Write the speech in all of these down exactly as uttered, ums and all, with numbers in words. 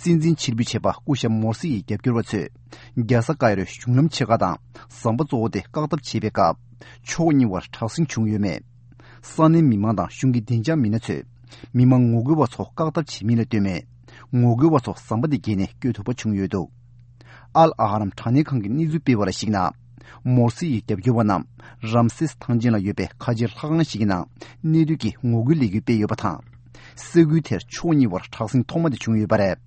སྲིད་འཛིན་ཕྱིར་འབུད་བྱས་པ་སྐུ་ཞབས་མོར་སི་ཡི་རྒྱབ་སྐྱོར་བ་ཚོས་རྒྱལ་ས་ཀའི་རོའི་གཞུང་ལམ་ཕྱེད་ཀ་དང་ཟམ་པ་གཙོ་བོ་དེ་བཀག་ཐབས་བྱེད་པའི་སྐབས་ཕྱོགས་གཉིས་བར་དྲག་ཟིང་བྱུང་ཡོད་མེད། ས་གནས་མི་མང་དང་གཞུང་གི་བདེ་འཇགས་མི་སྣ་ཚོས་མི་མང་ངོ་རྒོལ་བ་ཚོ་བཀག་ཐབས་བྱེད་མིན་ལ་ལྟོས་མེད། ངོ་རྒོལ་བ་ཚོ་ཟམ་པ་དེ་བརྒལ་ནས་བསྐྱོད་ཐུབ་པ་བྱུང་ཡོད་འདུག་ཨལ་ཨ་ཧ་རམ་དྲ་བརྙན་ཁང་གིས་གནས་ཚུལ་སྤེལ་བ་ལ་གཞིགས་ན། མོར་སི་ཡི་རྒྱབ་སྐྱོར་བ་རྣམས་རམ་སེས་ཐང་ཆེན་ལ་ཡོད་པའི་ཁ་ཆེའི་ལྷ་ཁང་ཞིག་གི་ནང་གནས་སྡོད་ཀྱི་ངོ་རྒོལ་ལས་འགུལ་སྤེལ་ཡོད་པ་དང་། ས་ཁུལ་དེར་ཕྱོགས་གཉིས་བར་དྲག་ཟིང་ཐོག་མ་དེ་བྱུང་ཡོད་པ་རེད།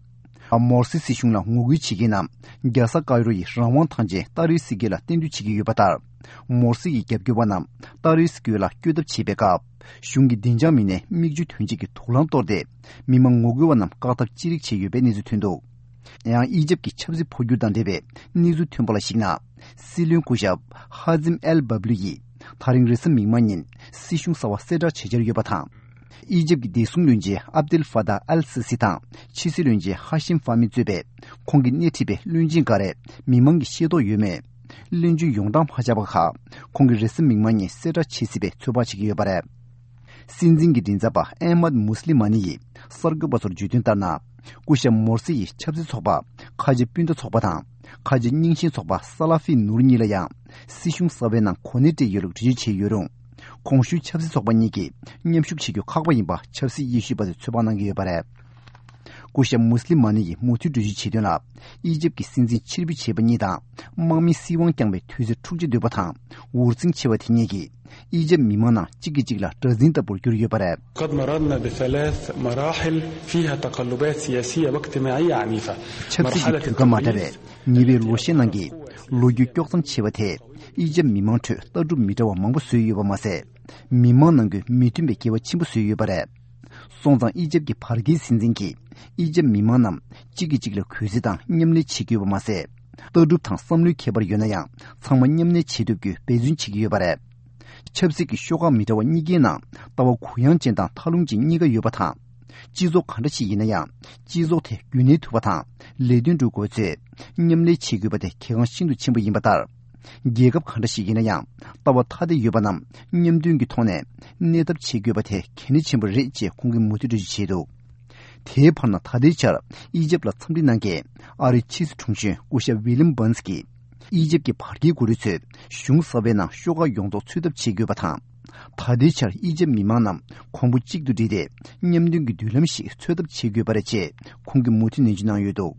མོར་སི་སྲིད་གཞུང་ལ་ངོ་རྒོལ་བྱེད་མཁན་རྣམས་རྒྱལ་ས་ཀའི་རོ་ཡི་རང་དབང་ཐང་ཆེན་ཏཱ་རིར་སི་དགོན་ལ་གཏན་སྡོད་བྱེད་ཀྱི་ཡོད་པ་ལྟར། མོར་སི་ཡི་རྒྱབ་སྐྱོར་བ་རྣམས་ཏཱ་རིར་སི་དགོན་ལ་བསྐྱོད་ཐབས་བྱེད་པའི་སྐབས། གཞུང་གི་བདེ་འཇགས་མི་སྣས་མིག་ཆུ་ཐོན་སྐྱེད་ཀྱི་དུག་རླངས་གཏོར་ཏེ། མི་མང་ངོ་རྒོལ་བ་རྣམས་བཀག་ཐབས་ཅི་རིགས་བྱས་ཡོད་པའི་གནས་ཚུལ་ཐོན་འདུག་ཡང་ཨི་ཇེབ་ཀྱི་ཆབ་སྲིད་འཕོ་འགྱུར་དང་འབྲེལ་བའི་གནས་ཚུལ་ཐོན་པ་ལ་གཞིགས་ན། སྲིད་བློན་སྐུ་ཞབས་ཧ་ཛིམ་ཨེལ་བབ་ལུ་ཡིས་ད་རིང་རེས་གཟའ་མིག་དམར་ཉིན་སྲིད་གཞུང་གསར་པ་གསལ་བསྒྲགས་བྱེད་འཆར་ཡོད་པ་དང་། ཨི་ཇེབ་ཀྱི་བདེ་སྲུང་བློན་ཆེན་ཨབ་དེལ་ཧྥ་ཏཱ་ཨལ་སི་སི་དང་ཕྱི་སྲིད་བློན་ཆེན་ཧ་ཤིམ་ཧྥ་མི་གཙོས་པའི་ཁོང་གིས་སྣེ་ཁྲིད་པའི་བློན་ཆེན་འགའ་རེས་མི་མང་གིས་ཤེས་རྟོགས་ཡོད་མེད། བློན་ཆེན་ཡོངས་གྲགས་མ་ཆགས་པ་ཁག་ཁོང་གིས་རེས་གཟའ་མིག་དམར་ཉིན་གསལ་བསྒྲགས་བྱེད་སྲིད་པའི་ཚོད་དཔག་བྱེད་ཀྱི་ཡོད་པ་རེད། སྲིད་འཛིན་གྱི་མགྲིན་ཚབ་པ་ཨེ་མད་མུ་སི་ལི་མ་ནི་ཡིས་གསར་འགོད་པ་ཚོར་བརྗོད་དོན་ལྟར་ན། སྐུ་ཞབས་མོར་སི་ཡི་ཆབ་སྲིད་ཚོགས་པ་ཁ་ཆེ་སྤུན་ཟླ་ཚོགས་པ་དང་ཁ་ཆེ་རྙིང་ཞེན་ཚོགས་པ་ས་ལ་ཧྥི་ནུར་གཉིས་ལ་ཡང་སྲིད་གཞུང་གསར་པའི་ནང་གོ་གནས་སྤྲད་ཡོད་ལུགས་འགྲེལ་བརྗོད་བྱས་ཡོད་རུང་། གོང་ཞུས་ཆབ་སྲིད་ཚོགས་པ་གཉིས་ཀྱིས་མཉམ་ཞུགས་བྱེད་རྒྱུ་ཁག་པོ་ཡིན་པ་ཆབ་སྲིད་དབྱེ་ཞིབ་པ་ཚོས་ཚོད་དཔག་གནང་གི་ཡོད་པ་རེད། སྐུ་ཞབས་མུ་སི་ལི་མ་ནི་ཡིས་མུ་མཐུད་འགྲེལ་བརྗོད་བྱས་དོན་ལ། ཨི་ཇེབ་ཀྱི་སྲིད་འཛིན་ཕྱིར་འབུད་བྱས་པ་གཉིས་དང་། དམག་མིས་སྲིད་དབང་བསྐྱངས་པའི་དུས་ཚོད་འཁྲུག་ཆ་དོད་པ་དང་། འུར་ཟིང་ཆེ་བ་དེ་གཉིས་ཀྱིས། ཨི་ཇེབ་མི་མང་ནང་གཅིག་གིས་གཅིག་ལ་དགྲར་འཛིན་ལྟ་བུར་གྱུར་ཡོད་པ་རེད། قد مررنا بثلاث مراحل فيها تقلبات سياسية واجتماعية عنيفة. ཆབ་སྲིད་ཀྱི་དུས་སྐབས་མ་འདྲ་བའི་ཉེ་བའི་ལོ་ཤས་ནང་གི་ལོ་རྒྱུས་དཀྱོག་མཚམས་ཆེ་བ་དེས་ཨི་ཇེབ་མི་མང་ཁྲོད་ལྟ་གྲུབ་མི་འདྲ་བ་མང་པོ་བཟོས་ཡོད་པ་མ་ཟད། མི་མང་ནང་ཁུལ་མི་མཐུན་པའི་འགལ་བ་ཆེན་པོ་བཟོས་ཡོད་པ་རེད། སོང་ཙང་ཨི་ཇེབ་ཀྱི་བར་བརྒལ་སྲིད་འཛིན་གྱིས་ཨི་ཇེབ་མི་མང་རྣམས་གཅིག་གིས་གཅིག་ལ་གུས་བརྩི་དང་མཉམ་ལས་བྱེད་དགོས་པ་མ་ཟད། ལྟ་གྲུབ་དང་བསམ་བློའི་ཁྱད་པར་ཡོད་ན་ཡང་ཚང་མ་མཉམ་གནས་བྱེད་ཐུབ་རྒྱུའི་འབད་བརྩོན་བྱེད་ཀྱི་ཡོད་པ་རེད། ཆབ་སྲིད་ཀྱི་ཤོག་ཁག་མི་འདྲ་བ་གཉིས་ཀའི་ནང་ལྟ་བ་གུ་ཡངས་ཅན་དང་མཐའ་ལྷུང་ཅན་གཉིས་ཀ་ཡོད་པ་དང་། སྤྱི་ཚོགས་ག་འདྲ་ཞིག་ཡིན་ན་ཡང་སྤྱི་ཚོགས་དེ་རྒྱུན་གནས་ཐུབ་པ་དང་ལས་དོན་སྒྲུབ་དགོས་ཚེ་མཉམ་ལས་བྱེད་དགོས་པ་དེ་གལ་འགངས་ཤིན་ཏུ་ཆེན་པོ་ཡིན་པ་ལྟར། རྒྱལ་ཁབ་གང་འདྲ་ཞིག་ཡིན་ན་ཡང་ལྟ་བ་ཐ་དད་ཡོད་པ་རྣམས་མཉམ་མཐུན་གྱི་ཐོག་ནས་གནས་ཐབས་བྱེད་དགོས་པ་དེ་གལ་གནད་ཆེན་པོ་རེད་ཅེས་ཁོང་གིས་མུ་མཐུད་འགྲེལ་བརྗོད་བྱས་འདུག་དེའི་བར་ན་ད་ལྟའི་ཆར་ཨི་ཇེབ་ལ་འཚམས་འདྲི་གནང་མཁན་ཨ་རིའི་ཕྱི་སྲིད་དྲུང་ཆེ་སྐུ་ཞབས་ཝི་ལིམ་བྷན་སི་གིས་ཨི་ཇེབ་ཀྱི་བར་བརྒལ་འགོ་ཁྲིད་ཚོས་གཞུང་གསར་པའི་ནང་ཤོག་ཁག་ཡོངས་རྫོགས་ཚུད་ཐབས་བྱེད་དགོས་པ་དང་། ད་ལྟའི་ཆར་ཨི་ཇེབ་མི་མང་རྣམས་གོང་བུ་གཅིག་ཏུ་བསྒྲིལ་ཏེ་མཉམ་མཐུན་གྱི་མདུན་ལམ་ཞིག་འཚོལ་ཐབས་བྱེད་དགོས་པ་རེད་ཅེས་ཁོང་གིས་མུ་མཐུད་ནན་བརྗོད་གནང་ཡོད་འདུག